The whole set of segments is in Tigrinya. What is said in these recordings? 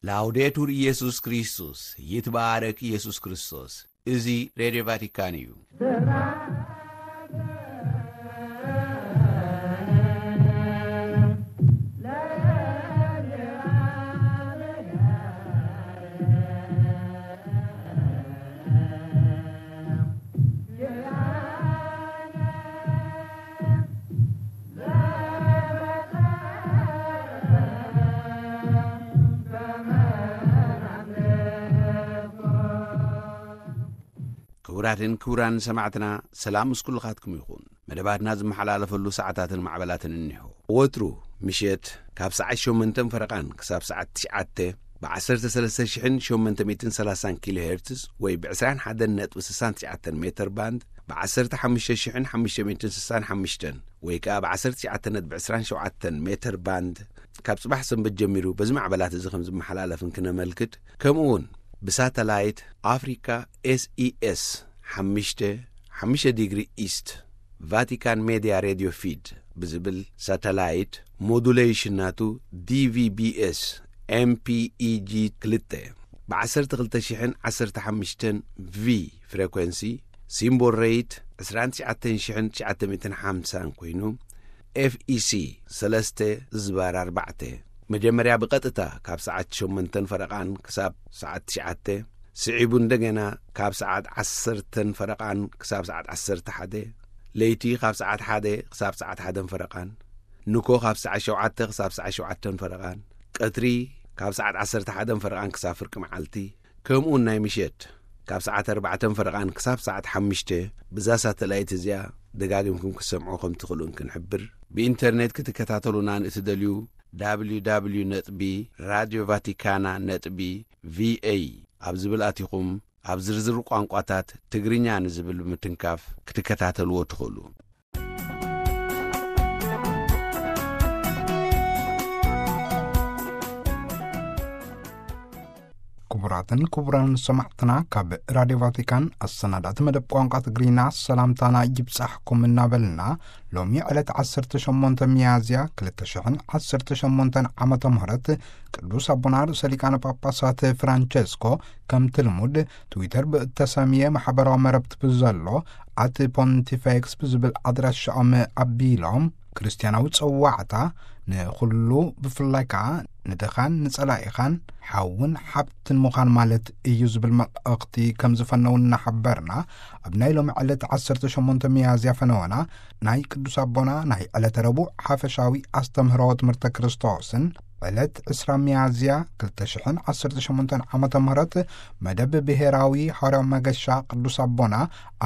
ላውዴቱር ኢየሱስ ክርስቶስ፣ ይትባረክ ኢየሱስ ክርስቶስ። እዚ ሬድዮ ቫቲካን እዩ። ክቡራትን ክቡራን ሰማዕትና፣ ሰላም ምስ ኩልኻትኩም ይኹን። መደባትና ዝመሓላለፈሉ ሰዓታትን ማዕበላትን እኒሆ። ወትሩ ምሸት ካብ ሰዓት ሸሞንተን ፈረቓን ክሳብ ሰዓት ትሽዓተ ብ ዓሰርተ ሰለስተ ሽሕን ሸሞንተ ሚእትን ሰላሳን ኪሎ ሄርትዝ ወይ ብ ዕስራን ሓደን ነጥቢ ስሳን ትሽዓተን ሜተር ባንድ፣ ብ ዓሰርተ ሓሙሽተ ሽሕን ሓሙሽተ ሚእትን ስሳን ሓሙሽተን ወይ ከኣ ብ ዓሰርተ ትሽዓተ ነጥቢ ዕስራን ሸውዓተን ሜተር ባንድ፣ ካብ ጽባሕ ሰንበት ጀሚሩ በዚ ማዕበላት እዚ ከም ዝመሓላለፍን ክነመልክት፣ ከምኡ እውን ብሳተላይት ኣፍሪካ ኤስኢኤስ ሓሙሽተ፣ ሓሙሽተ ዲግሪ ኢስት፣ ቫቲካን ሜድያ ሬድዮ ፊድ ብዝብል ሳተላይት፣ ሞዱሌሽን ናቱ ዲቪቢኤስ ኤምፒኢጂ ክልተ፣ ብ ዓሰርተ ክልተ ሽሕን ዓሰርተ ሓሙሽተን ቪ ፍሬኮንሲ፣ ሲምቦል ሬት ዕስራን ትሽዓተን ሽሕን ትሽዓተ ሚእትን ሓምሳን ኮይኑ፣ ኤፍኢሲ ሰለስተ ዝባር ኣርባዕተ፣ መጀመርያ ብቐጥታ ካብ ሰዓት ሸሞንተን ፈረቓን ክሳብ ሰዓት ትሽዓተ፣ ስዒቡ እንደገና ካብ ሰዓት ዓሰርተን ፈረቓን ክሳብ ሰዓት ዓሰርተ ሓደ፣ ለይቲ ካብ ሰዓት ሓደ ክሳብ ሰዓት ሓደን ፈረቓን፣ ንኮ ካብ ሰዓት ሸውዓተ ክሳብ ሰዓት ሸውዓተን ፈረቓን፣ ቀትሪ ካብ ሰዓት ዓሰርተ ሓደን ፈረቓን ክሳብ ፍርቂ መዓልቲ፣ ከምኡውን ናይ ምሸት ካብ ሰዓት ኣርባዕተን ፈረቓን ክሳብ ሰዓት ሓሙሽተ፣ ብዛ ሳተላይት እዚኣ ደጋጊምኩም ክትሰምዑ ከም ትኽእሉን ክንሕብር። ብኢንተርኔት ክትከታተሉና ንእትደልዩ፣ ደብሊው ደብሊው ደብሊው ነጥቢ ራድዮ ቫቲካና ነጥቢ ቪኤ ኣብ ዝብል ኣቲኹም፣ ኣብ ዝርዝር ቋንቋታት ትግርኛ ንዝብል ብምትንካፍ ክትከታተልዎ ትኽእሉ። ክቡራትን ክቡራን ሰማዕትና፣ ካብ ራድዮ ቫቲካን ኣሰናዳእቲ መደብ ቋንቋ ትግርኛ ሰላምታና ይብጻሕኩም እናበልና፣ ሎሚ ዕለት ዓሰርተ ሸሞንተ ሚያዝያ ክልተ ሽሕን ዓሰርተ ሸሞንተን ዓመተ ምህረት ቅዱስ ኣቦና ርእሰ ሊቃነ ጳጳሳት ፍራንቸስኮ፣ ከምቲ ልሙድ ትዊተር ብእተሰምየ ማሕበራዊ መረብቲ ብዘሎ ኣት ፖንቲፌክስ ብዝብል ኣድራሻኦም ኣቢሎም፣ ክርስትያናዊ ጸዋዕታ ንኹሉ፣ ብፍላይ ከኣ ንድኻን ንጸላኢኻን ሓውን ሓብትን ምዃን ማለት እዩ ዝብል መልእኽቲ ከም ዝፈነው እናሓበርና፣ ኣብ ናይ ሎሚ ዕለት ዓሰርተ ሸሞንተ ሚያዝያ ፈነወና ናይ ቅዱስ ኣቦና ናይ ዕለተ ረቡዕ ሓፈሻዊ ኣስተምህሮ ትምህርተ ክርስቶስን ዕለት ዕስራ ሚያዝያ ክልተ ሽሕን ዓሰርተ ሸሞንተን ዓመተ ምህረት መደብ ብሄራዊ ሃዋርያዊ መገሻ ቅዱስ ኣቦና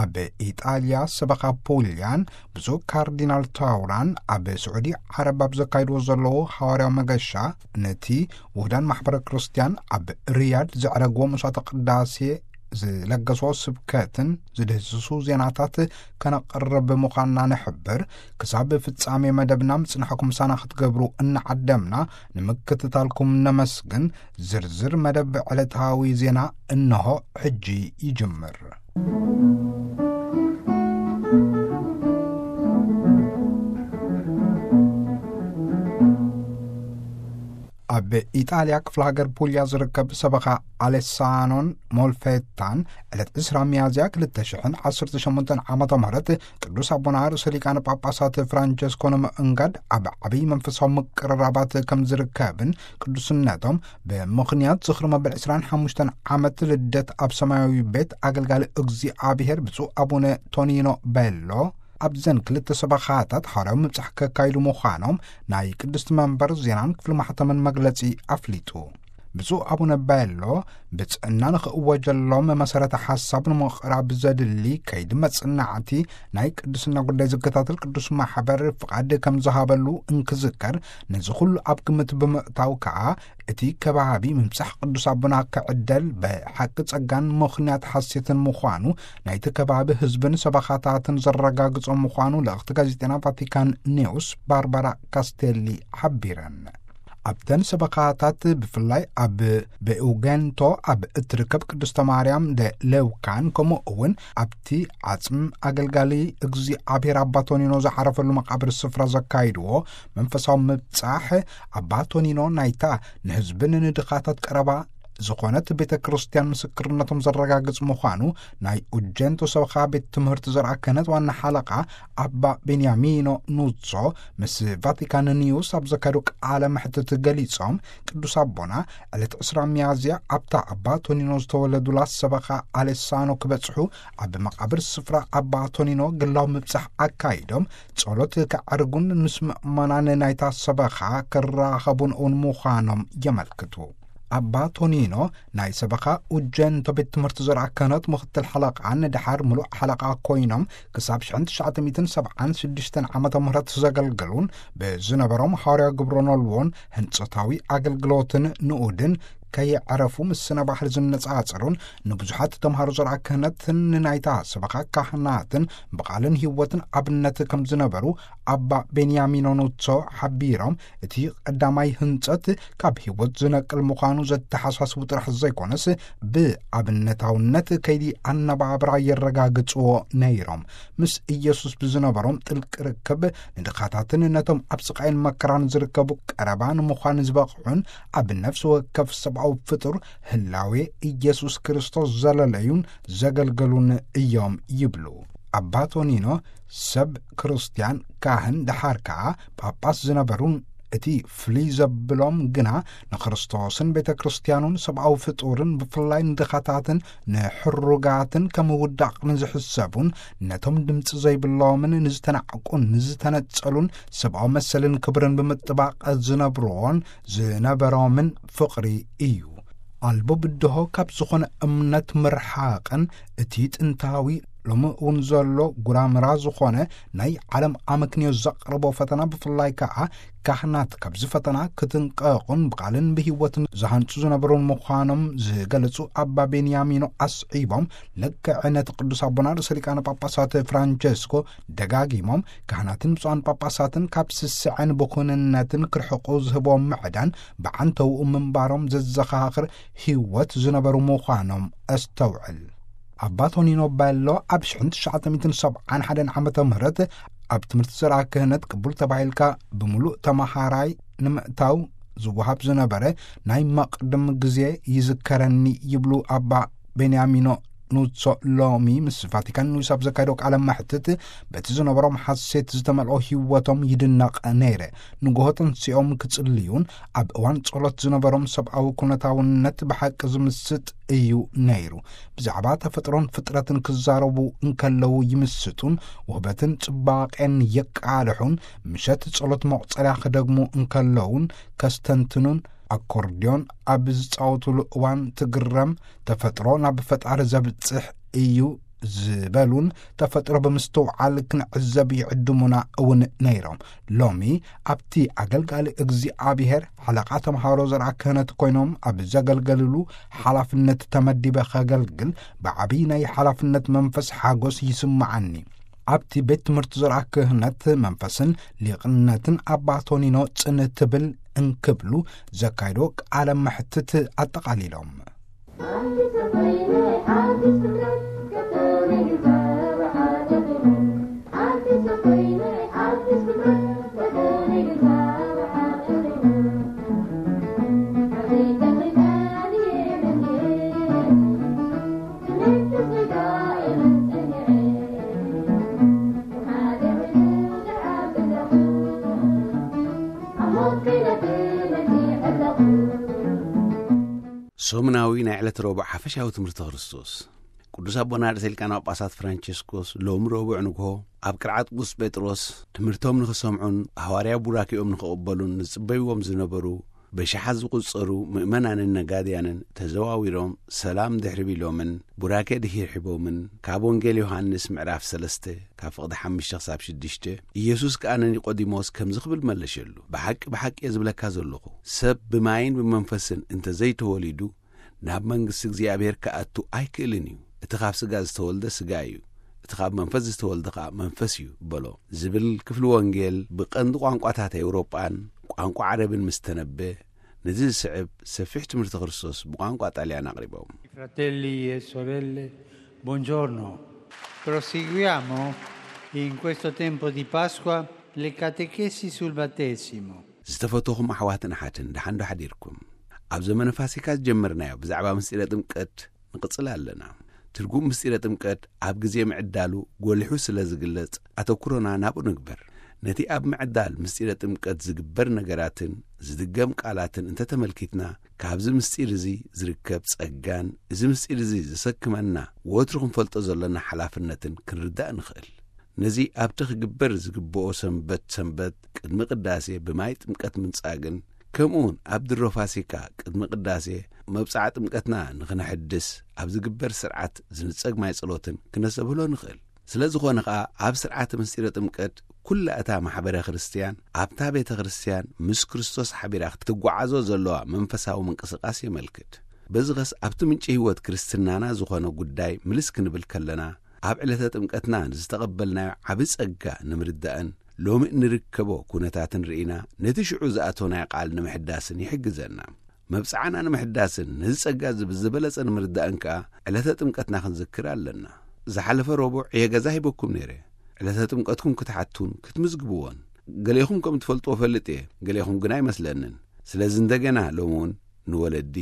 ኣብ ኢጣልያ ሰበኻ ፑልያን ብፁዕ ካርዲናል ታውራን ኣብ ስዑዲ ዓረብ ኣብ ዘካይድዎ ዘለዉ ሃዋርያዊ መገሻ፣ ነቲ ውህዳን ማሕበረ ክርስቲያን ኣብ ሪያድ ዘዕረግዎ መስዋዕተ ቅዳሴ ዝለገስዎ ስብከትን ዝድህስሱ ዜናታት ከነቕርብ ምዃንና ንሕብር። ክሳብ ፍጻሜ መደብና ምጽናሕኩም ምሳና ክትገብሩ እናዓደምና፣ ንምክትታልኩም ነመስግን። ዝርዝር መደብ ዕለታዊ ዜና እንሆ ሕጂ ይጅምር። ኣብ ኢጣልያ ክፍለ ሃገር ፑልያ ዝርከብ ሰበኻ ኣሌሳኖን ሞልፌታን ዕለት ዕስራ ሚያዝያ ክልተ ሽሕን ዓሰርተ ሸሞንተን ዓመተ ምህረት ቅዱስ ኣቦና ርእሰ ሊቃነ ጳጳሳት ፍራንቸስኮ ንምእንጋድ ኣብ ዓብዪ መንፈሳዊ ምቅርራባት ከም ዝርከብን፣ ቅዱስነቶም ብምኽንያት ዝኽሪ መበል ዕስራን ሓሙሽተን ዓመት ልደት ኣብ ሰማያዊ ቤት ኣገልጋሊ እግዚኣብሔር ብፁዕ ኣቡነ ቶኒኖ ቤሎ ኣብዘን ክልተ ሰበኻታት ሓዋርያዊ ምብጻሕ ከካይዱ ምዃኖም ናይ ቅድስቲ መንበር ዜናን ክፍሊ ማሕተምን መግለጺ ኣፍሊጡ። ብፁዕ ኣቡነ ቤሎ፣ ብጽዕና ንኽእወጀሎም መሰረተ ሓሳብ ንምቕራብ ዘድሊ ከይዲ መጽናዕቲ ናይ ቅድስና ጉዳይ ዝከታተል ቅዱስ ማሕበር ፍቓድ ከም ዝሃበሉ እንክዝከር፣ ነዚ ኩሉ ኣብ ግምት ብምእታው ከኣ እቲ ከባቢ ምብጻሕ ቅዱስ ኣቦና ክዕደል ብሓቂ ጸጋን ምኽንያት ሓሴትን ምዃኑ ናይቲ ከባቢ ህዝብን ሰበኻታትን ዘረጋግጾ ምዃኑ ልእኽቲ ጋዜጠና ቫቲካን ኒውስ ባርባራ ካስቴሊ ሓቢረን። ኣብተን ሰበኻታት፣ ብፍላይ ኣብ ቤኡገንቶ ኣብ እትርከብ ቅድስተ ማርያም ደ ሌውካን፣ ከምኡ እውን ኣብቲ ዓጽም ኣገልጋሊ እግዚኣብሔር ኣባ ቶኒኖ ዝዓረፈሉ መቓብር ስፍራ ዘካይድዎ መንፈሳዊ ምብጻሕ፣ ኣባ ቶኒኖ ናይታ ንህዝብን ንድኻታት ቀረባ ዝኾነት ቤተ ክርስቲያን ምስክርነቶም ዘረጋግጽ ምዃኑ ናይ ኡጀንቶ ሰበኻ ቤት ትምህርቲ ዘርኣ ክህነት ዋና ሓለቓ ኣባ ቤንያሚኖ ኑዞ ምስ ቫቲካን ኒውስ ኣብ ዘካየዶ ቃለ መሕትት ገሊጾም፣ ቅዱስ ኣቦና ዕለት ዕስራ ሚያዝያ ኣብታ ኣባ ቶኒኖ ዝተወለዱላ ሰበኻ ኣሌሳኖ ክበጽሑ ኣብ መቓብር ስፍራ ኣባ ቶኒኖ ግላዊ ምብጻሕ ኣካይዶም፣ ጸሎት ከዕርጉን ምስ ምእመናን ናይታ ሰበኻ ክራኸቡን እውን ምዃኖም የመልክቱ። ኣባ ቶኒኖ ናይ ሰበኻ ኡጀንቶ ቤት ትምህርቲ ዘርኣ ክህነት ምኽትል ሓለቓን ድሓር ምሉእ ሓለቓ ኮይኖም ክሳብ ሽሕን ትሽዓተ ሚእትን ሰብዓን ሽዱሽተን ዓመተ ምህረት ዘገልገሉን፣ ብዝነበሮም ሃዋርያ ግብረ ኖልዎን ህንጸታዊ ኣገልግሎትን ንኡድን ከየዕረፉ ምስ ስነ ባህል ዝነጻጸሩን ንብዙሓት ተምሃሮ ዘርኣ ክህነትን ንናይታ ሰበኻ ካህናትን ብቓልን ህይወትን ኣብነት ከም ዝነበሩ ኣባ ቤንያሚኖ ኑሶ ሓቢሮም፣ እቲ ቀዳማይ ህንጸት ካብ ህይወት ዝነቅል ምዃኑ ዘተሓሳስቡ ጥራሕ ዘይኮነስ፣ ብኣብነታውነት ከይዲ ኣነባብራ የረጋግጽዎ ነይሮም። ምስ ኢየሱስ ብዝነበሮም ጥልቂ ርክብ፣ ንድኻታትን ነቶም ኣብ ስቓይን መከራን ዝርከቡ ቀረባ ንምዃን ዝበቕዑን፣ ኣብ ነፍሲ ወከፍ ሰብኣዊ ፍጡር ህላዌ ኢየሱስ ክርስቶስ ዘለለዩን ዘገልገሉን እዮም ይብሉ። ኣባ ቶኒኖ፣ ሰብ ክርስትያን ካህን፣ ደሓር ከኣ ጳጳስ ዝነበሩን፣ እቲ ፍልይ ዘብሎም ግና ንክርስቶስን ቤተ ክርስትያኑን ሰብኣዊ ፍጡርን፣ ብፍላይ ንድኻታትን ንሕሩጋትን ከም ውዳቕ ንዝሕሰቡን፣ ነቶም ድምፂ ዘይብሎምን ንዝተናዕቁን ንዝተነጸሉን ሰብኣዊ መሰልን ክብርን ብምጥባቕ ዝነብርዎን ዝነበሮምን ፍቕሪ እዩ። ኣልቦ ብድሆ ካብ ዝኾነ እምነት ምርሓቕን፣ እቲ ጥንታዊ ሎሚ እውን ዘሎ ጉራምራ ዝኾነ ናይ ዓለም ኣመክንዮ ዘቕርቦ ፈተና፣ ብፍላይ ከኣ ካህናት ካብዚ ፈተና ክትንቀቑን ብቓልን ብህይወትን ዝሃንጹ ዝነበሩን ምዃኖም ዝገለጹ ኣባ ቤንያሚኖ ኣስዒቦም፣ ልክዕ ነቲ ቅዱስ ኣቦና ርእሰ ሊቃነ ጳጳሳት ፍራንቸስኮ ደጋጊሞም፣ ካህናትን ብፁዓን ጳጳሳትን ካብ ስስዐን ብኹንነትን ክርሕቁ ዝህቦም ምዕዳን ብዓንተውኡ ምንባሮም ዘዘኻኽር ህይወት ዝነበሩ ምዃኖም ኣስተውዕል። ኣባ ቶኒኖ በሎ ኣብ ሽሕን ትሽዓተ ሚእትን ሰብዓን ሓደን ዓመተ ምህረት ኣብ ትምህርቲ ዘርኣ ክህነት ቅቡል ተባሂልካ ብምሉእ ተመሃራይ ንምእታው ዝወሃብ ዝነበረ ናይ መቕድም ግዜ ይዝከረኒ ይብሉ ኣባ ቤንያሚኖ ኑሶ። ሎሚ ምስ ቫቲካን ኒውስ ኣብ ዘካየዶ ቃለ መሕትት፣ በቲ ዝነበሮም ሓሴት ዝተመልኦ ህይወቶም ይድነቕ ነይረ። ንግሆ ተንሲኦም ክጽልዩን ኣብ እዋን ጸሎት ዝነበሮም ሰብኣዊ ኩነታውነት ብሓቂ ዝምስጥ እዩ ነይሩ። ብዛዕባ ተፈጥሮን ፍጥረትን ክዛረቡ እንከለዉ ይምስጡን ውህበትን ጽባቄን የቃልሑን፣ ምሸት ጸሎት መቑጸርያ ክደግሙ እንከለዉን ከስተንትኑን፣ ኣኮርድዮን ኣብ ዝጻወቱሉ እዋን ትግረም፣ ተፈጥሮ ናብ ፈጣሪ ዘብጽሕ እዩ ዝበሉን፣ ተፈጥሮ ብምስትውዓል ክንዕዘብ ይዕድሙና እውን ነይሮም። ሎሚ ኣብቲ ኣገልጋሊ እግዚኣብሔር ሓለቓ ተምሃሮ ዘርኣ ክህነት ኮይኖም ኣብ ዘገልገልሉ ሓላፍነት ተመዲበ ከገልግል፣ ብዓብዪ ናይ ሓላፍነት መንፈስ ሓጎስ ይስምዓኒ። ኣብቲ ቤት ትምህርቲ ዘርኣ ክህነት መንፈስን ሊቕነትን ኣባ ቶኒኖ ጽን ትብል እንክብሉ ዘካይዶ ቃለ መሕትት ኣጠቓሊሎም። ሰሙናዊ ናይ ዕለት ረቡዕ ሓፈሻዊ ትምህርቲ ክርስቶስ። ቅዱስ ኣቦና ርእሰ ሊቃነ ጳጳሳት ፍራንቸስኮስ ሎም ረቡዕ ንግሆ ኣብ ቅርዓት ቅዱስ ጴጥሮስ ትምህርቶም ንኽሰምዑን ሃዋርያ ቡራኬኦም ንኽቕበሉን ዝጽበይዎም ዝነበሩ በሽሓት ዝቑጸሩ ምእመናንን ነጋድያንን ተዘዋዊሮም ሰላም ድሕሪ ቢሎምን ቡራኬ ድሒር ሒቦምን፣ ካብ ወንጌል ዮሃንስ ምዕራፍ ሰለስተ ካብ ፍቕዲ ሓሙሽተ ክሳብ ሽዱሽተ፣ ኢየሱስ ከኣ ንኒቆዲሞስ ከምዚ ክብል መለሸሉ፣ ብሓቂ ብሓቂ እየ ዝብለካ ዘለኹ፣ ሰብ ብማይን ብመንፈስን እንተ ዘይተወሊዱ ናብ መንግስቲ እግዚኣብሔር ክኣቱ ኣይክእልን እዩ። እቲ ካብ ስጋ ዝተወልደ ስጋ እዩ፣ እቲ ካብ መንፈስ ዝተወልደ ከኣ መንፈስ እዩ በሎ ዝብል ክፍሊ ወንጌል ብቐንዲ ቋንቋታት ኤውሮጳን ቋንቋ ዓረብን ምስ ተነበ፣ ነዚ ዝስዕብ ሰፊሕ ትምህርቲ ክርስቶስ ብቋንቋ ጣልያን ኣቕሪቦም። Fratelli e sorelle, buongiorno. Proseguiamo in questo tempo di Pasqua le catechesi sul battesimo. ዝተፈተኹም ኣሕዋትን ኣሓትን፣ ደሓን ዶ ሓዲርኩም? ኣብ ዘመነ ፋሲካ ዝጀመርናዮ ብዛዕባ ምስጢረ ጥምቀት ንቕጽል ኣለና። ትርጉም ምስጢረ ጥምቀት ኣብ ግዜ ምዕዳሉ ጎሊሑ ስለ ዝግለጽ፣ ኣተኩሮና ናብኡ ንግበር። ነቲ ኣብ ምዕዳል ምስጢረ ጥምቀት ዝግበር ነገራትን ዝድገም ቃላትን እንተተመልኪትና፣ ካብዚ ምስጢር እዚ ዝርከብ ጸጋን እዚ ምስጢር እዚ ዘሰክመና ወትሩ ክንፈልጦ ዘሎና ሓላፍነትን ክንርዳእ ንኽእል። ነዚ ኣብቲ ክግበር ዝግብኦ ሰንበት ሰንበት ቅድሚ ቅዳሴ ብማይ ጥምቀት ምንጻግን፣ ከምኡውን ኣብ ድሮ ፋሲካ ቅድሚ ቅዳሴ መብጽዓ ጥምቀትና ንኽነሐድስ ኣብ ዝግበር ስርዓት ዝንጸግ ማይ ጸሎትን ክነሰብህሎ ንኽእል። ስለ ዝኾነ ኸኣ ኣብ ስርዓተ ምስጢረ ጥምቀት ኩላ እታ ማሕበረ ክርስትያን ኣብታ ቤተ ክርስትያን ምስ ክርስቶስ ሓቢራ ክትጓዓዞ ዘለዋ መንፈሳዊ ምንቅስቃስ የመልክት። በዚ ኸስ ኣብቲ ምንጪ ህይወት ክርስትናና ዝኾነ ጉዳይ ምልስ ክንብል ከለና፣ ኣብ ዕለተ ጥምቀትና ንዝተቐበልናዮ ዓቢ ጸጋ ንምርዳእን ሎሚ እንርከቦ ኩነታትን ርኢና ነቲ ሽዑ ዝኣተናዮ ቃል ንምሕዳስን ይሕግዘና። መብጽዓና ንምሕዳስን ነዚ ጸጋ እዚ ብዝበለጸ ንምርዳእን ከኣ ዕለተ ጥምቀትና ክንዝክር ኣለና። ዝሓለፈ ረቡዕ እየ ገዛ ሂበኩም ነይረ። ዕለተ ጥምቀትኩም ክትሓቱን ክትምዝግብዎን። ገሌኹም ከም ትፈልጥዎ ፈልጥ እየ፣ ገሌኹም ግን ኣይመስለንን። ስለዚ እንደገና ሎሚ እውን ንወለዲ፣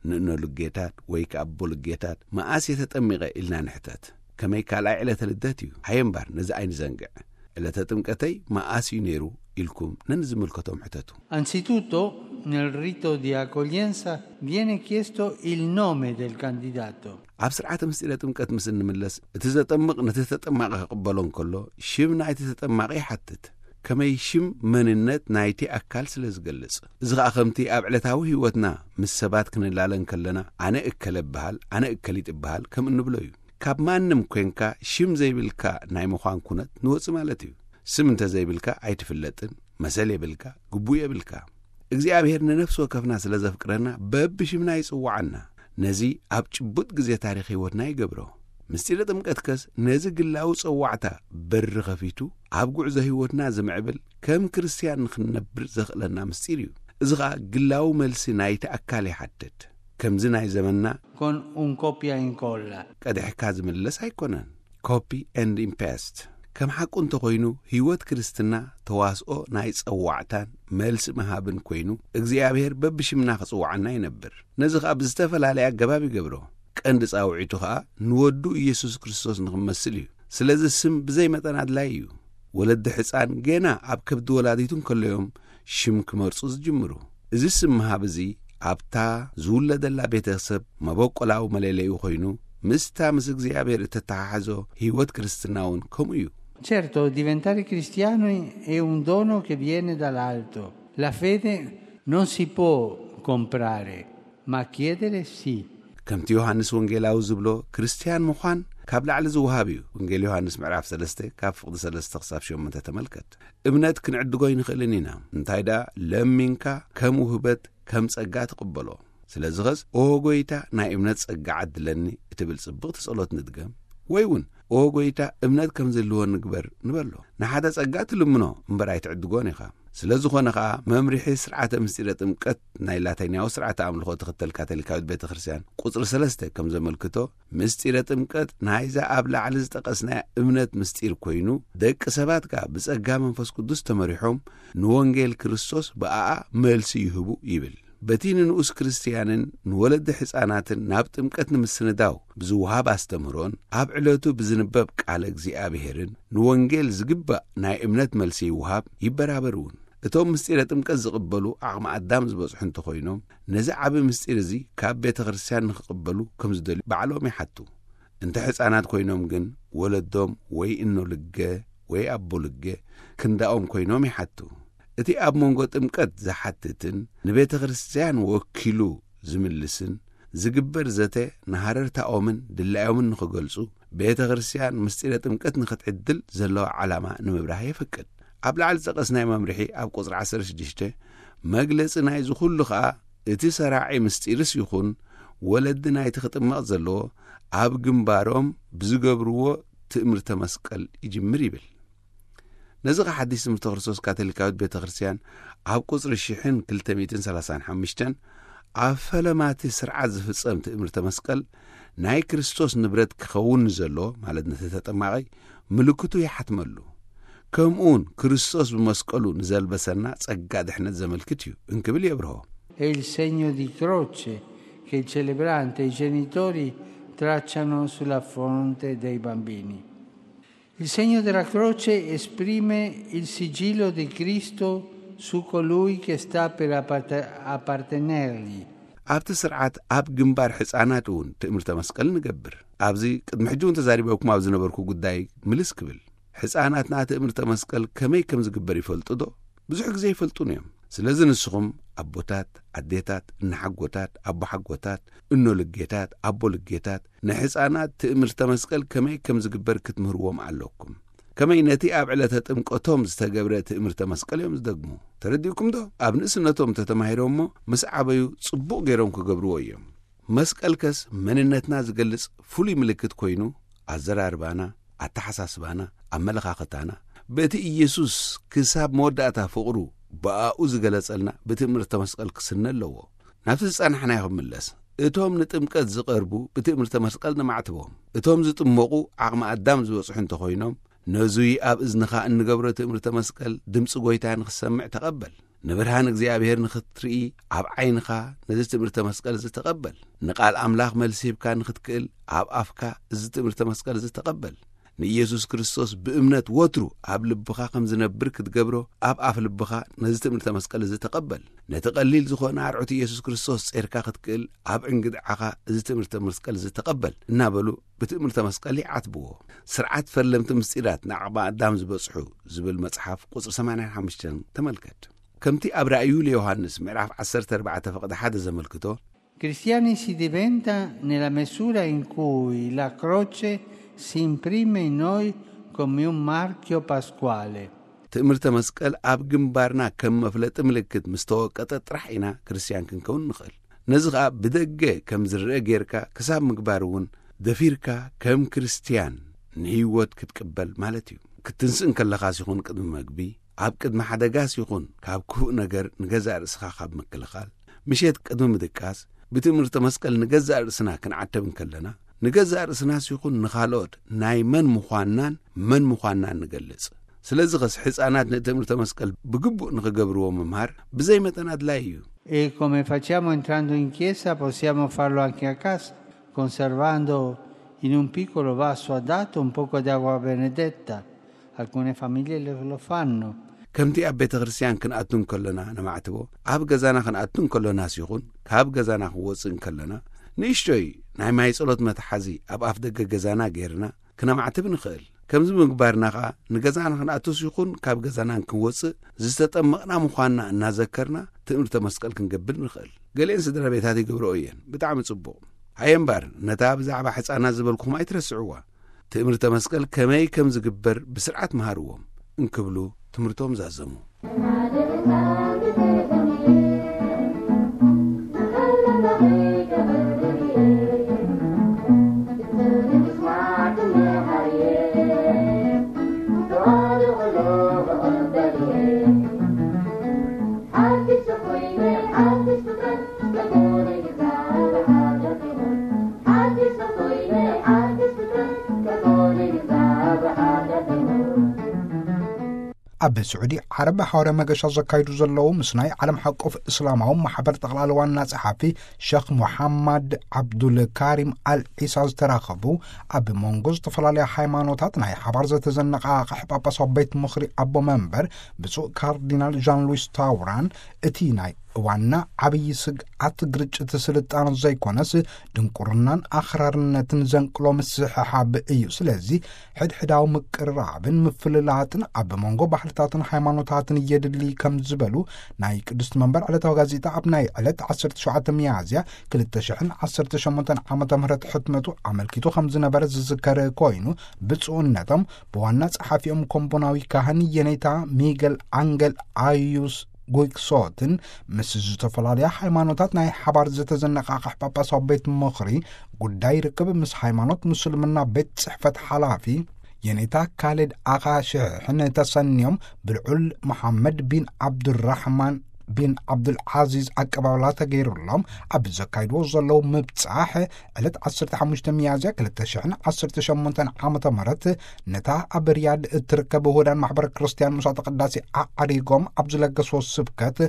ንእኖ ልጌታት ወይ ከኣ ኣቦ ልጌታት መኣስ እየ ተጠሚቐ ኢልና ንሕተት። ከመይ ካልኣይ ዕለተ ልደት እዩ? ሃየ እምባር ነዚ ኣይንዘንግዕ። ዕለተ ጥምቀተይ መኣስ እዩ ነይሩ ኢልኩም ነንዝምልከቶም ሕተቱ። Anzitutto, nel rito di accoglienza viene chiesto il nome del candidato. ኣብ ስርዓተ ምስጢረ ጥምቀት ምስ እንምለስ፣ እቲ ዘጠምቕ ነቲ ተጠማቒ ክቕበሎ እንከሎ ሽም ናይቲ ተጠማቒ ይሓትት። ከመይ ሽም መንነት ናይቲ ኣካል ስለ ዝገልጽ። እዚ ኸኣ ከምቲ ኣብ ዕለታዊ ህይወትና ምስ ሰባት ክንላለ እንከለና ኣነ እከለ እበሃል፣ ኣነ እከሊት እበሃል ከም እንብሎ እዩ። ካብ ማንም ኮንካ ሽም ዘይብልካ ናይ ምዃን ኩነት ንወጽእ ማለት እዩ። ስም እንተ ዘይብልካ ኣይትፍለጥን፣ መሰል የብልካ፣ ግቡእ የብልካ። እግዚኣብሔር ንነፍሲ ወከፍና ስለ ዘፍቅረና በብሽምና ይጽውዓና። ነዚ ኣብ ጭቡጥ ግዜ ታሪኽ ህይወትና ይገብሮ። ምስጢረ ጥምቀት ከስ ነዚ ግላዊ ጸዋዕታ በሪ ኸፊቱ ኣብ ጉዕዞ ህይወትና ዝምዕብል ከም ክርስትያን ንኽንነብር ዘኽእለና ምስጢር እዩ። እዚ ኸኣ ግላዊ መልሲ ናይቲ ኣካል ይሓትት። ከምዚ ናይ ዘመንና Con un copia e incolla. ቀድሕካ ዝምለስ ኣይኮነን። Copy and paste። ከም ሓቁ እንተኾይኑ ህይወት ክርስትና ተዋስኦ ናይ ጸዋዕታን መልሲ ምሃብን ኮይኑ እግዚኣብሔር በብሽምና ክጽውዓና ይነብር። ነዚ ኸኣ ብዝተፈላለየ ኣገባብ ይገብሮ። ቀንዲ ጻውዒቱ ኸኣ ንወዱ ኢየሱስ ክርስቶስ ንኽመስል እዩ። ስለዚ ስም ብዘይ መጠን ኣድላይ እዩ። ወለዲ ሕፃን ገና ኣብ ከብዲ ወላዲቱ እንከለዮም ሽም ክመርጹ ዝጅምሩ። እዚ ስም ምሃብ እዚ ኣብታ ዝውለደላ ቤተሰብ መበቆላዊ መለለዩ ኮይኑ ምስታ ምስ እግዚኣብሔር እተተሓሕዞ ህይወት ክርስትና እውን ከምኡ እዩ። Certo, diventare cristiani è un dono che viene dall'alto. La fede non si può comprare, ma chiedere sì. ከምቲ ዮሃንስ ወንጌላዊ ዝብሎ ክርስትያን ምዃን ካብ ላዕሊ ዝወሃብ እዩ። ወንጌል ዮሃንስ ምዕራፍ ሰለስተ ካብ ፍቕዲ ሰለስተ ክሳብ ሸሞንተ ተመልከት። እምነት ክንዕድጎ ኣይንኽእልን ኢና። እንታይ ደኣ ለሚንካ ከም ውህበት ከም ጸጋ ትቕበሎ። ስለዚ ኸስ ኦ ጎይታ ናይ እምነት ጸጋ ዓድለኒ እትብል ጽብቕቲ ጸሎት ንድገም። ወይ እውን ኦ ጎይታ እምነት ከም ዝህልወኒ ግበር ንበሎ። ንሓደ ጸጋ ትልምኖ እምበር ኣይትዕድጎን ኢኻ። ስለ ዝኾነ ኸኣ መምርሒ ስርዓተ ምስጢረ ጥምቀት ናይ ላቲናዊ ስርዓተ ኣምልኾ ትኽተል ካቶሊካዊት ቤተ ክርስቲያን ቁጽሪ ሰለስተ ከም ዘመልክቶ ምስጢረ ጥምቀት ናይዛ ኣብ ላዕሊ ዝጠቐስናያ እምነት ምስጢር ኮይኑ ደቂ ሰባት ከኣ ብጸጋ መንፈስ ቅዱስ ተመሪሖም ንወንጌል ክርስቶስ ብኣኣ መልሲ ይህቡ ይብል። በቲ ንንኡስ ክርስትያንን ንወለዲ ሕፃናትን ናብ ጥምቀት ንምስንዳው ብዝወሃብ ኣስተምህሮን ኣብ ዕለቱ ብዝንበብ ቃለ እግዚኣብሔርን ንወንጌል ዝግባእ ናይ እምነት መልሲ ይወሃብ ይበራበር እውን። እቶም ምስጢረ ጥምቀት ዝቕበሉ ዓቕሚ ኣዳም ዝበጽሑ እንተኾይኖም ነዚ ዓቢ ምስጢር እዚ ካብ ቤተ ክርስትያን ንኽቕበሉ ከም ዝደልዩ ባዕሎም ይሓቱ። እንተ ሕፃናት ኮይኖም ግን ወለዶም ወይ እኖ ልገ ወይ ኣቦ ልገ ክንዳኦም ኮይኖም ይሓቱ። እቲ ኣብ መንጎ ጥምቀት ዝሓትትን ንቤተ ክርስትያን ወኪሉ ዝምልስን ዝግበር ዘተ ንሃረርታኦምን ድላዮምን ንኽገልጹ ቤተ ክርስትያን ምስጢረ ጥምቀት ንኽትዕድል ዘለዋ ዓላማ ንምብራህ የፍቅድ። ኣብ ላዕሊ ዝጠቐስናይ መምርሒ ኣብ ቁጽሪ ዓሰርተ ሽዱሽተ መግለጺ ናይዚ ኩሉ ኸኣ እቲ ሰራዒ ምስጢርስ ይኹን ወለዲ ናይቲ ክጥመቕ ዘለዎ ኣብ ግንባሮም ብዝገብርዎ ትእምርተ መስቀል ይጅምር ይብል። ነዚ ኸኣ ሓድሽ ትምህርተ ክርስቶስ ካቶሊካዊት ቤተ ክርስትያን ኣብ ቁጽሪ ሽሕን ክልተ ሚእትን ሰላሳን ሓሙሽተን ኣብ ፈለማቲ ስርዓት ዝፍጸም ትእምርተ መስቀል ናይ ክርስቶስ ንብረት ክኸውን ንዘሎ፣ ማለት ነቲ ተጠማቒ፣ ምልክቱ ይሓትመሉ። ከምኡውን ክርስቶስ ብመስቀሉ ንዘልበሰና ጸጋ ድሕነት ዘመልክት እዩ እንክብል የብርሆ። È il segno di croce che il celebrante e i genitori tracciano sulla fronte dei bambini. Il segno della croce esprime il sigillo di Cristo su colui che sta per aparte- appartenergli. ኣብቲ ስርዓት ኣብ ግንባር ሕፃናት እውን ትእምርተ መስቀል ንገብር። ኣብዚ ቅድሚ ሕጂ እውን ተዛሪበኩም ኣብ ዝነበርኩ ጉዳይ ምልስ ክብል፣ ሕፃናትና ትእምርተ መስቀል ከመይ ከም ዝግበር ይፈልጡ ዶ? ብዙሕ ግዜ ይፈልጡን እዮም። ስለዚ ንስኹም ኣቦታት፣ ኣዴታት፣ እናሓጎታት፣ ኣቦሓጎታት፣ እኖ ልጌታት፣ ኣቦ ልጌታት፣ ንሕፃናት ትእምርተ መስቀል ከመይ ከም ዝግበር ክትምህርዎም ኣለኩም። ከመይ ነቲ ኣብ ዕለተ ጥምቀቶም ዝተገብረ ትእምርተ መስቀል እዮም ዝደግሙ። ተረዲእኩም ዶ? ኣብ ንእስነቶም ተተማሂሮሞ ምስ ዓበዩ ጽቡቕ ገይሮም ክገብርዎ እዮም። መስቀልከስ መንነትና ዝገልጽ ፍሉይ ምልክት ኮይኑ፣ ኣዘራርባና፣ ኣተሓሳስባና፣ ኣመለኻኽታና፣ በቲ ኢየሱስ ክሳብ መወዳእታ ፍቕሩ ብኣኡ ዝገለጸልና ብትእምርተ መስቀል ክስነ ኣለዎ። ናብቲ ዝጸናሕናዮ ክምለስ። እቶም ንጥምቀት ዝቐርቡ ብትእምርተ መስቀል ነማዕትቦም። እቶም ዝጥመቑ ዓቕሚ ኣዳም ዝበጽሑ እንተኾይኖም፣ ነዙይ ኣብ እዝንኻ እንገብሮ ትእምርተ መስቀል ድምፂ ጐይታ ንኽሰምዕ ተቐበል። ንብርሃን እግዚኣብሔር ንኽትርኢ ኣብ ዓይንኻ ነዚ ትእምርተ መስቀል እዚ ተቐበል። ንቓል ኣምላኽ መልሲ ሂብካ ንኽትክእል ኣብ ኣፍካ እዚ ትእምርተ መስቀል እዚ ተቐበል። ንኢየሱስ ክርስቶስ ብእምነት ወትሩ ኣብ ልብኻ ከም ዝነብር ክትገብሮ ኣብ ኣፍ ልብኻ ነዚ ትእምርተ መስቀል እዚ ተቐበል። ነቲ ቀሊል ዝኾነ ኣርዑት ኢየሱስ ክርስቶስ ጼርካ ክትክእል ኣብ ዕንግድዓኻ እዚ ትእምርተ መስቀል እዚ ተቐበል እናበሉ ብትእምርተ መስቀል ይዓትብዎ። ስርዓት ፈለምቲ ምስጢራት ንዓቕሚ ኣዳም ዝበጽሑ ዝብል መጽሓፍ ቁጽሪ ሰማንያን ሓሙሽተን ተመልከት። ከምቲ ኣብ ራእዩ ለዮሃንስ ምዕራፍ ዓሰርተ ኣርባዕተ ፈቕዲ ሓደ ዘመልክቶ፣ Cristiani si diventa nella misura in cui la croce si imprime in noi come un marchio pasquale. ትእምርተ መስቀል ኣብ ግንባርና ከም መፍለጢ ምልክት ምስ ተወቀጠ ጥራሕ ኢና ክርስትያን ክንከውን ንኽእል። ነዚ ኸኣ ብደገ ከም ዝረአ ጌርካ ክሳብ ምግባር እውን ደፊርካ ከም ክርስትያን ንህይወት ክትቅበል ማለት እዩ። ክትንስእ እንከለኻስ ይኹን ቅድሚ መግቢ፣ ኣብ ቅድሚ ሓደጋስ ይኹን ካብ ክፉእ ነገር ንገዛእ ርእስኻ ካብ ምክልኻል፣ ምሸት ቅድሚ ምድቃስ ብትእምርተ መስቀል ንገዛእ ርእስና ክንዓተብ እንከለና፣ ንገዛእ ርእስናስ ይኹን ንኻልኦት ናይ መን ምዃንናን መን ምዃንናን ንገልጽ። ስለዚ ኸስ ሕፃናት ንትእምርተ መስቀል ብግቡእ ንኽገብርዎ ምምሃር ብዘይ መጠን ኣድላይ እዩ። E come facciamo entrando in chiesa, possiamo farlo anche a casa, conservando in un piccolo vaso adatto un poco d'acqua benedetta. Alcune famiglie lo, lo fanno. ከምቲ ኣብ ቤተ ክርስቲያን ክንኣቱ እንከሎና ነማዕትቦ፣ ኣብ ገዛና ክንኣቱ እንከሎናስ ይኹን ካብ ገዛና ክንወፅእ እንከሎና፣ ንእሽቶይ ናይ ማይ ጸሎት መትሓዚ ኣብ ኣፍ ደገ ገዛና ጌርና ክነማዕትብ ንኽእል። ከምዚ ምግባርና ኸኣ ንገዛና ክንኣቱስ ይኹን ካብ ገዛና ክንወፅእ ዝተጠመቕና ምዃንና እናዘከርና ትእምርተ መስቀል ክንገብር ንኽእል። ገሊአን ስድራ ቤታት ይገብርኦ እየን። ብጣዕሚ ጽቡቕ። ሃየ እምበር ነታ ብዛዕባ ሕፃናት ዝበልኩኹም ኣይትረስዕዋ። ትእምርተ መስቀል ከመይ ከም ዝግበር ብስርዓት መሃርዎም እንክብሉ ትምህርቶም ዛዘሙ። ኣብ ስዑዲ ዓረብ ሓዋርያ መገሻ ዘካይዱ ዘለዉ ምስ ናይ ዓለም ሓቆፍ እስላማዊ ማሕበር ጠቕላሊ ዋና ጸሓፊ ሸኽ ሙሓማድ ዓብዱል ካሪም ኣል ዒሳ ዝተራኸቡ፣ ኣብ መንጎ ዝተፈላለያ ሃይማኖታት ናይ ሓባር ዘተዘነቓቕሕ ጳጳሳዊ ቤት ምኽሪ ኣቦ መንበር ብፁዕ ካርዲናል ዣን ሉዊስ ታውራን፣ እቲ ናይ እዋንና ዓብዪ ስግኣት ግርጭት ስልጣነ ዘይኮነስ ድንቁርናን ኣኽራርነትን ዘንቅሎ ምስሕሓብ እዩ። ስለዚ ሕድሕዳዊ ምቅርራብን ምፍልላጥን ኣብ መንጎ ባህልታትን ሃይማኖታትን የድሊ ከም ዝበሉ ናይ ቅድስቲ መንበር ዕለታዊ ጋዜጣ ኣብ ናይ ዕለት ዓሰርተ ሸውዓተ ሚያዝያ ክልተ ሽሕን ዓሰርተ ሸሞንተን ዓመተ ምህረት ሕትመቱ ኣመልኪቱ ከም ዝነበረ ዝዝከር ኮይኑ፣ ብፁዕነቶም ብዋና ጸሓፊኦም ኮምቦናዊ ካህን የኔታ ሚገል ኣንገል ኣዩስ ጉይክሶትን ምስ ዝተፈላለያ ሃይማኖታት ናይ ሓባር ዝተዘነቓቕሕ ጳጳሳዊ ቤት ምኽሪ ጉዳይ ርክብ ምስ ሃይማኖት ምስልምና ቤት ጽሕፈት ሓላፊ የኔታ ካሊድ ኣኻ ሽሕን ተሰንዮም ብልዑል መሓመድ ቢን ዓብዱራሕማን ቢን ዓብዱልዓዚዝ ኣቀባብላ ተገይሩሎም ኣብ ዘካይድዎ ዘለዉ ምብጻሕ ዕለት ዓሰርተ ሓሙሽተ ሚያዝያ ክልተ ሽሕን ዓሰርተ ሸሞንተን ዓመተ ምህረት ነታ ኣብ ሪያድ እትርከብ ውሁዳን ማሕበረ ክርስትያን መስዋዕተ ቅዳሴ ኣዕሪጎም ኣብ ዝለገስዎ ስብከት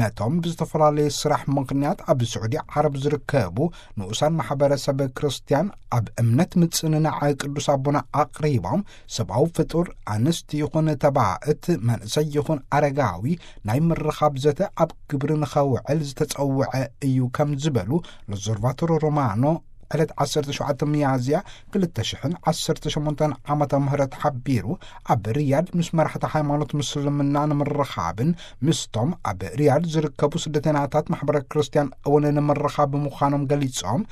ነቶም ብዝተፈላለየ ስራሕ ምኽንያት ኣብ ስዑዲ ዓረብ ዝርከቡ ንኡሳን ማሕበረሰብ ክርስትያን ኣብ እምነት ምጽንናዕ ቅዱስ ኣቦና ኣቕሪቦም ሰብኣዊ ፍጡር ኣንስቲ ይኹን ተባእት መንእሰይ ይኹን ኣረጋዊ ናይ ምርኻብ ዘተ ኣብ ግብሪ ንኸውዕል ዝተጸውዐ እዩ ከም ዝበሉ ሎዞርቫቶሮ ሮማኖ ዕለት ዓሰርተ ሸውዓተ ሚያዝያ ክልተ ሽሕን ዓሰርተ ሸሞንተን ዓመተ ምህረት ሓቢሩ ኣብ ሪያድ ምስ መራሕቲ ሃይማኖት ምስልምና ንምርኻብን ምስቶም ኣብ ሪያድ ዝርከቡ ስደተናታት ማሕበረ ክርስትያን እውን ንምርኻብ ምዃኖም ገሊጾም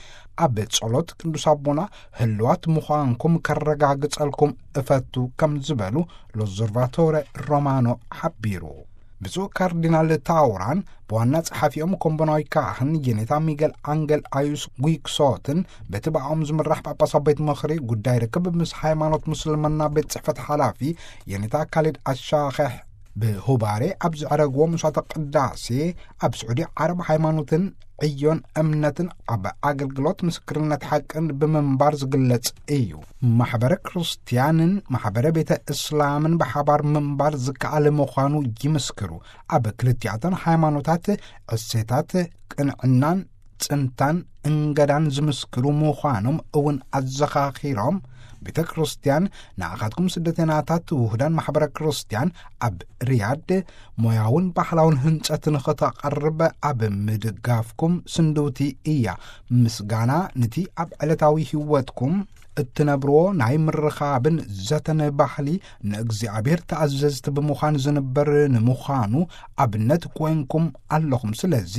ኣብ ጸሎት ቅዱስ ኣቦና ህልዋት ምዃንኩም ከረጋግጸልኩም እፈቱ ከም ዝበሉ ሎዞርቫቶረ ሮማኖ ሓቢሩ። ብፁዕ ካርዲናል ታውራን ብዋና ጸሓፊኦም ኮምቦናዊ ካህን የኔታ ሚገል ኣንገል ኣዩስ ጉይክሶትን በቲ ብኣኦም ዝምራሕ ጳጳሳዊ ቤት ምኽሪ ጉዳይ ርክብ ምስ ሃይማኖት ሙስልምና ቤት ጽሕፈት ሓላፊ የኔታ ካሊድ ኣሻኸሕ ብሁባሬ ኣብ ዘዕረግዎ መስዋዕተ ቅዳሴ ኣብ ስዑዲ ዓረብ ሃይማኖትን ዕዮን እምነትን ኣብ ኣገልግሎት ምስክርነት ሓቅን ብምንባር ዝግለጽ እዩ። ማሕበረ ክርስትያንን ማሕበረ ቤተ እስላምን ብሓባር ምንባር ዝከኣል ምዃኑ ይምስክሩ። ኣብ ክልቲኣተን ሃይማኖታት እሴታት ቅንዕናን ጽንታን እንገዳን ዝምስክሩ ምዃኖም እውን ኣዘኻኺሮም ቤተ ክርስትያን ንኣኻትኩም ስደተናታት ውሁዳን ማሕበረ ክርስትያን ኣብ ሪያድ ሞያውን ባህላውን ህንጸት ንኽተቐርብ ኣብ ምድጋፍኩም ስንድውቲ እያ። ምስጋና ንቲ ኣብ ዕለታዊ ህይወትኩም እትነብርዎ ናይ ምርኻብን ዘተን ባህሊ ንእግዚኣብሔር ተኣዘዝቲ ብምዃን ዝንበር ንምዃኑ ኣብነት ኮይንኩም ኣለኹም። ስለዚ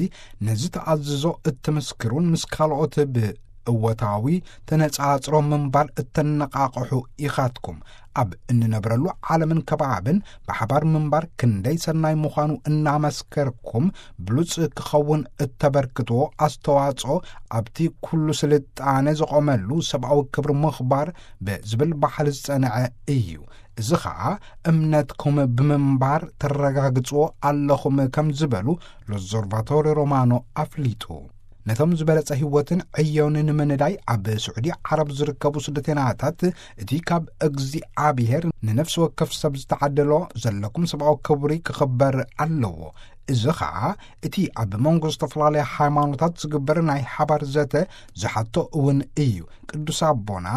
ነዚ ተኣዝዞ እትምስክሩን ምስ ካልኦት ብእወታዊ ተነጻጽሮ ምንባር እተነቓቕሑ ኢኻትኩም። ኣብ እንነብረሉ ዓለምን ከባብን ብሓባር ምንባር ክንደይ ሰናይ ምዃኑ እናመስከርኩም ብሉጽ ክኸውን እተበርክትዎ ኣስተዋጽኦ ኣብቲ ኩሉ ስልጣነ ዝቖመሉ ሰብኣዊ ክብሪ ምኽባር ብዝብል ባህሊ ዝጸንዐ እዩ። እዚ ኸኣ እምነትኩም ብምንባር ተረጋግጽዎ ኣለኹም ከም ዝበሉ ሎዞርቫቶሪ ሮማኖ ኣፍሊጡ። ነቶም ዝበለጸ ህይወትን ዕዮን ንምንዳይ ኣብ ስዑዲ ዓረብ ዝርከቡ ስደተናታት እቲ ካብ እግዚኣብሔር ንነፍሲ ወከፍ ሰብ ዝተዓደሎ ዘለኩም ሰብኣዊ ክብሪ ክኽበር ኣለዎ። እዚ ኸኣ እቲ ኣብ መንጎ ዝተፈላለያ ሃይማኖታት ዝግበር ናይ ሓባር ዘተ ዝሓቶ እውን እዩ። ቅዱስ ኣቦና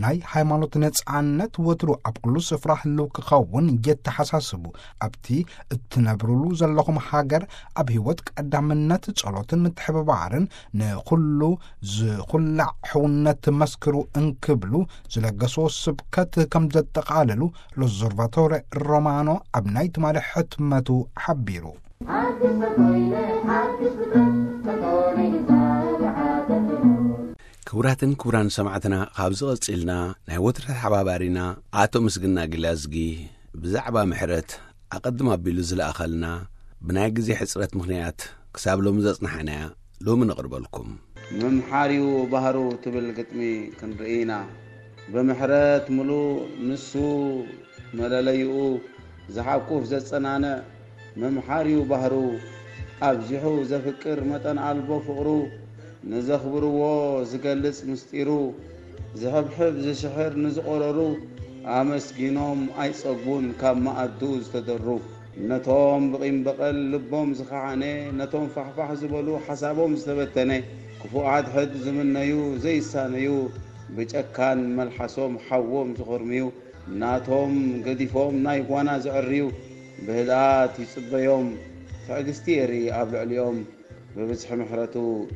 ናይ ሃይማኖት ነጻነት ወትሩ ኣብ ኩሉ ስፍራ ህልው ክኸውን የተሓሳስቡ። ኣብቲ እትነብሩሉ ዘለኹም ሃገር ኣብ ህይወት ቀዳምነት ጸሎትን ምትሕብባርን ንኹሉ ዝኹላዕ ሕውነት መስክሩ እንክብሉ ዝለገስዎ ስብከት ከም ዘጠቓልሉ ሎዞርቫቶረ ሮማኖ ኣብ ናይ ትማሊ ሕትመቱ ሓቢሩ። ሓድሽ ተኮይነ ሓድሽ ፍጥረት ተኮነ ይዛረብ ሓተትሉ። ክቡራትን ክቡራን ሰማዕትና፣ ካብዚ ቀጺልና ናይ ወትሩ ተሓባባሪና ኣቶ ምስግና ግላዝጊ ብዛዕባ ምሕረት ኣቐድም ኣቢሉ ዝለኣኸልና ብናይ ግዜ ሕጽረት ምኽንያት ክሳብ ሎሚ ዘጽናሕናያ ሎሚ ነቕርበልኩም። ምምሓርዩ ባህሩ ትብል ግጥሚ ክንርኢ ኢና። ብምሕረት ምሉእ ንሱ መለለይኡ ዝሓቁፍ ዘጸናንዕ ምምሓርዩ ባህሩ ኣብዚሑ ዘፍቅር መጠን ኣልቦ ፍቕሩ ንዘኽብርዎ ዝገልጽ ምስጢሩ ዝሕብሕብ ዝሽሕር ንዝቖረሩ ኣመስጊኖም ኣይጸግቡን ካብ መኣዱ ዝተደሩ። ነቶም ብቂም በቐል ልቦም ዝኸሓነ፣ ነቶም ፋሕፋሕ ዝበሉ ሓሳቦም ዝተበተነ፣ ክፉእ ሓድሕድ ዝምነዩ ዘይሳነዩ፣ ብጨካን መልሓሶም ሓዎም ዝኾርምዩ፣ ናቶም ገዲፎም ናይ ጓና ዘዕርዩ፣ ብህድኣት ይጽበዮም፣ ትዕግስቲ የርኢ ኣብ ልዕሊኦም፣ ብብዝሒ ምሕረቱ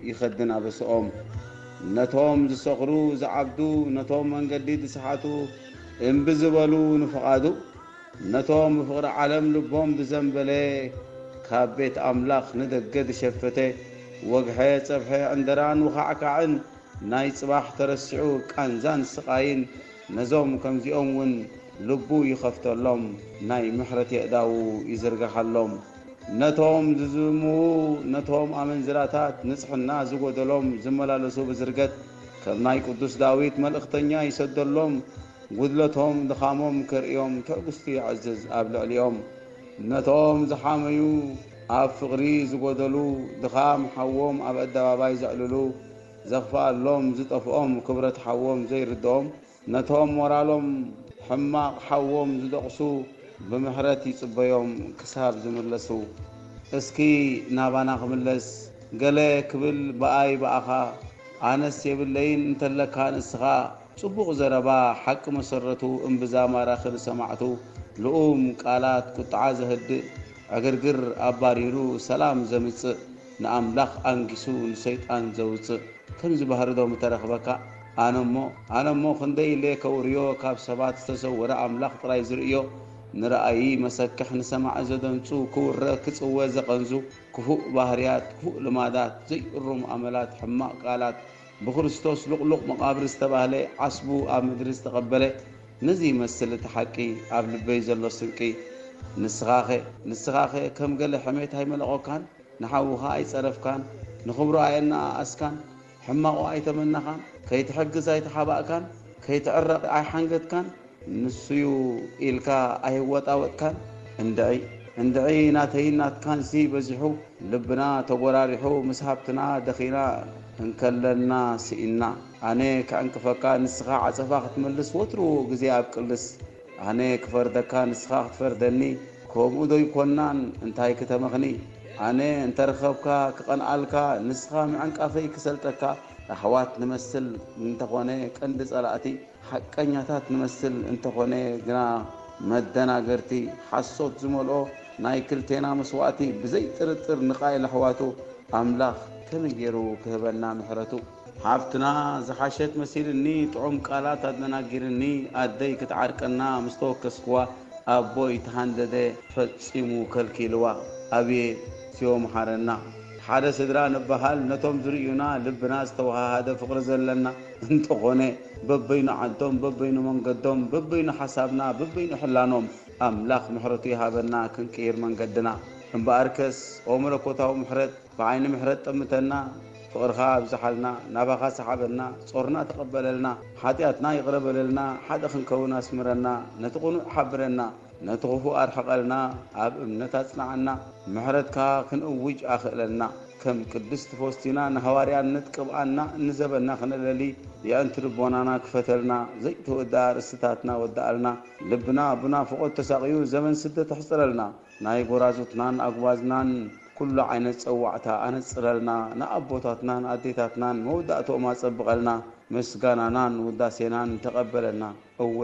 ይኸድን ኣበስኦም። ነቶም ዝሰኽሩ ዝዓብዱ፣ ነቶም መንገዲ ዝሰሓቱ፣ እምቢ ዝበሉ ንፍቓዱ፣ ነቶም ብፍቕሪ ዓለም ልቦም ዝዘንበለ፣ ካብ ቤት ኣምላኽ ንደገ ዝሸፈተ፣ ወግሐ ጸብሐ ዕንደራን ውኻዕካዕን፣ ናይ ጽባሕ ተረሲዑ ቃንዛን ስቓይን፣ ነዞም ከምዚኦም እውን ልቡ ይኸፍተሎም፣ ናይ ምሕረት የእዳዉ ይዝርግሓሎም። ነቶም ዝዝምዉ፣ ነቶም ኣመንዝራታት፣ ንጽሕና ዝጎደሎም፣ ዝመላለሱ ብዝርገት፣ ከም ናይ ቅዱስ ዳዊት መልእኽተኛ ይሰደሎም፣ ጉድለቶም ድኻሞም ከርእዮም ትዕግስቱ የዕዝዝ ኣብ ልዕሊኦም። ነቶም ዝሓመዩ ኣብ ፍቕሪ ዝጎደሉ ድኻም ሓዎም ኣብ ኣደባባይ ዘዕልሉ ዘኽፍኣሎም ዝጠፍኦም ክብረት ሓዎም ዘይርድኦም ነቶም ሞራሎም ሕማቕ ሓዎም ዝደቕሱ ብምሕረት ይጽበዮም ክሳብ ዝምለሱ። እስኪ ናባና ክምለስ ገለ ክብል ብኣይ ብኣኻ ኣነስ የብለይን እንተለካ ንስኻ ጽቡቕ ዘረባ ሓቂ መሰረቱ እምብዛ ማራኺ ንሰማዕቱ ልኡም ቃላት ቁጥዓ ዘህድእ ዕግርግር ኣባሪሩ ሰላም ዘምጽእ ንኣምላኽ ኣንጊሱ ንሰይጣን ዘውጽእ ከምዚ ባህሪ ዶ ምተረኽበካ? ኣነሞ ኣነሞ ክንደይ ኢለ ከውርዮ ካብ ሰባት ዝተሰወረ ኣምላኽ ጥራይ ዝርእዮ ንረኣዪ መሰክሕ ንሰማዒ ዘደንጹ ክውረ ክጽወ ዘቐንዙ ክፉእ ባህርያት ክፉእ ልማዳት ዘይእሩም ኣመላት ሕማቕ ቃላት ብክርስቶስ ሉቕሉቕ መቓብር ዝተባህለ ዓስቡ ኣብ ምድሪ ዝተቐበለ ነዚ ይመስል እቲ ሓቂ ኣብ ልበይ ዘሎ ስንቂ ንስኻኸ ንስኻኸ ከም ገለ ሕሜት ኣይመለቖካን ንሓውኻ ኣይጸረፍካን ንኽብሩ ኣየነኣኣስካን ሕማቑ ኣይተመነኻን ከይትሕግዝ ኣይተሓባእካን ከይትዕረቕ ኣይሓንገድካን ንሱዩ ኢልካ ኣይወጣወጥካን እንድዒ እንድዒ ናተይን ናትካንሲ በዚሑ ልብና ተጎራሪሑ ምስ ሃብትና ደኺና እንከለና ስኢንና ኣነ ክዕንቅፈካ ንስኻ ዓጸፋ ክትመልስ ወትሩ ግዜ ኣብቅልስ ኣነ ክፈርደካ ንስኻ ክትፈርደኒ ከምኡ ዶ ይኮናን እንታይ ክተመኽኒ ኣነ እንተረኸብካ ክቐንኣልካ ንስኻ ምዕንቃፈይ ክሰልጠካ ኣሕዋት ንመስል እንተኾነ ቀንዲ ጸላእቲ ሓቀኛታት ንመስል እንተኾነ ግና መደናገርቲ ሓሶት ዝመልኦ ናይ ክልቴና መስዋእቲ ብዘይጥርጥር ንቓይል ኣሕዋቱ ኣምላኽ ከመይ ገይሩ ክህበና ምሕረቱ። ሓፍትና ዝሓሸት መሲልኒ ጥዑም ቃላት ኣደናጊርኒ ኣደይ ክትዓርቀና ምስ ተወከስክዋ ኣቦይ ተሃንደደ ፈጺሙ ከልኪልዋ። ኣብየ ስዮ መሓረና። ሓደ ስድራ ንበሃል ነቶም ዝርእዩና ልብና ዝተወሃሃደ ፍቕሪ ዘለና እንተኾነ በበይኑ ዓዶም በበይኑ መንገዶም በበይኑ ሓሳብና በበይኑ ሕላኖም ኣምላኽ ምሕረቱ ይሃበና ክንቅይር መንገድና። እምበኣርከስ ኦ መለኮታዊ ምሕረት ብዓይኒ ምሕረት ጠምተና፣ ፍቕርኻ ኣብዝሓልና፣ ናባኻ ሰሓበና፣ ጾርና ተቐበለልና፣ ሓጢኣትና ይቕረ በለልና፣ ሓደ ክንከውን ኣስምረና፣ ነቲ ቅኑዕ ሓብረና፣ ነቲ ኽፉእ ኣርሕቐልና፣ ኣብ እምነት ኣጽንዓና፣ ምሕረትካ ክንእውጅ ኣኽእለና። ከም ቅድስት ፎስቲና ንሃዋርያነት ቅብኣና እንዘበና ክነለሊ፣ የዕንቲ ልቦናና ክፈተልና፣ ዘይተወድኣ ርእስታትና ወድኣልና፣ ልብና ብናፍቖት ተሳቕዩ ዘመን ስደት ኣሕጽረልና፣ ናይ ጎራዙትናን ኣጉባዝናን ኩሉ ዓይነት ጸዋዕታ ኣነጽረልና፣ ንኣቦታትናን ኣዴታትናን መወዳእትኦም ኣጸብቐልና፣ ምስጋናናን ውዳሴናን ተቐበለልና። እወ፣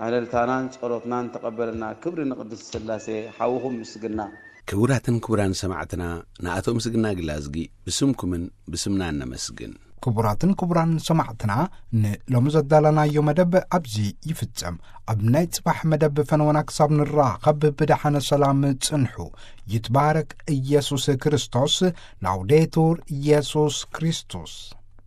ዕልልታናን ጸሎትናን ተቐበለልና። ክብሪ ንቅድስት ስላሴ ሓውኹም ምስግና። ክቡራትን ክቡራን ሰማዕትና፣ ንኣቶ ምስግና ግላዝጊ ብስምኩምን ብስምናን ነመስግን። ክቡራትን ክቡራን ሰማዕትና፣ ንሎሚ ዘዳለናዮ መደብ ኣብዚ ይፍጸም። ኣብ ናይ ጽባሕ መደብ ፈነወና ክሳብ ንራኸብ ብደሓነ ሰላም ጽንሑ። ይትባረክ ኢየሱስ ክርስቶስ። ላውዴቱር ኢየሱስ ክርስቶስ።